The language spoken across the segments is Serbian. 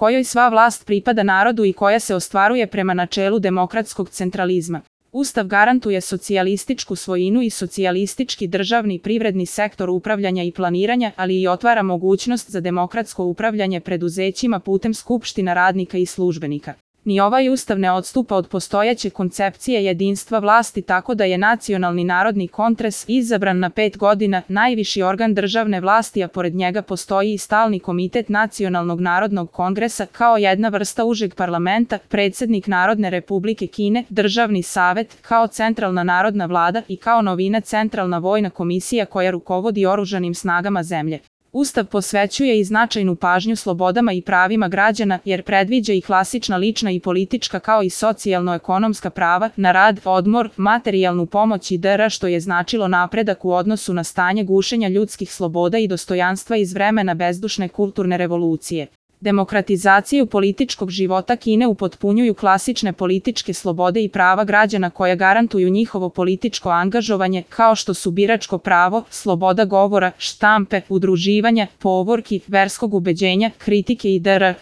kojoj sva vlast pripada narodu i koja se ostvaruje prema načelu demokratskog centralizma. Ustav garantuje socijalističku svojinu i socijalistički državni privredni sektor upravljanja i planiranja, ali i otvara mogućnost za demokratsko upravljanje preduzećima putem skupština radnika i službenika. Ni ovaj ustav ne odstupa od postojeće koncepcije jedinstva vlasti, tako da je Nacionalni narodni kongres izabran na 5 godina, najviši organ državne vlasti, a pored njega postoji i stalni komitet Nacionalnog narodnog kongresa kao jedna vrsta užeg parlamenta, predsjednik Narodne republike Kine, državni savet, kao centralna narodna vlada i kao novina centralna vojna komisija koja rukovodi oružanim snagama zemlje. Ustav posvećuje i značajnu pažnju slobodama i pravima građana jer predviđa i klasična lična i politička kao i socijalno-ekonomska prava na rad, odmor, materijalnu pomoć i dr. što je značilo napredak u odnosu na stanje gušenja ljudskih sloboda i dostojanstva iz vremena bezdušne kulturne revolucije. Demokratizaciju političkog života Kine upotpunjuju klasične političke slobode i prava građana koja garantuju njihovo političko angažovanje, kao što su biračko pravo, sloboda govora, štampe, udruživanja, povorki, verskog ubeđenja, kritike i dr.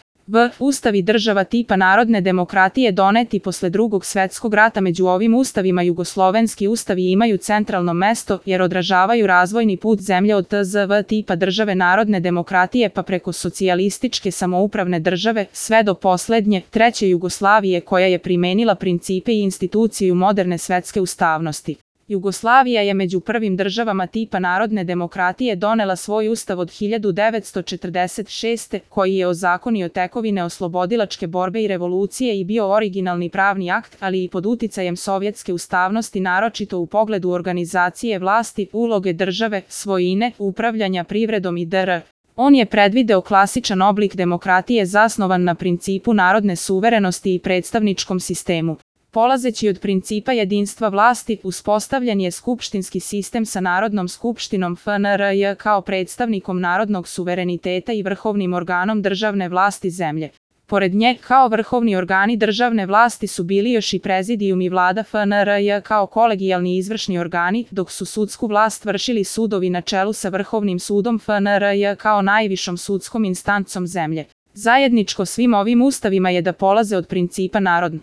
Ustavi država tipa narodne demokratije doneti posle Drugog svjetskog rata. Među ovim ustavima jugoslovenski ustavi imaju centralno mesto jer odražavaju razvojni put zemlje od TZV tipa države narodne demokratije pa preko socijalističke samoupravne države sve do poslednje, treće Jugoslavije koja je primenila principe i instituciju moderne svetske ustavnosti. Jugoslavija je među prvim državama tipa narodne demokratije donela svoj ustav od 1946. koji je ozakonio tekovine oslobodilačke borbe i revolucije i bio originalni pravni akt, ali i pod uticajem sovjetske ustavnosti, naročito u pogledu organizacije vlasti, uloge države, svojine, upravljanja privredom i dr. On je predvideo klasičan oblik demokratije zasnovan na principu narodne suverenosti i predstavničkom sistemu. Polazeći od principa jedinstva vlasti, uspostavljen je skupštinski sistem sa Narodnom skupštinom FNRJ kao predstavnikom narodnog suvereniteta i vrhovnim organom državne vlasti zemlje. Pored nje, kao vrhovni organi državne vlasti su bili još i prezidijum i vlada FNRJ kao kolegijalni izvršni organi, dok su sudsku vlast vršili sudovi na čelu sa Vrhovnim sudom FNRJ kao najvišom sudskom instancom zemlje. Zajedničko svim ovim ustavima je da polaze od principa narodne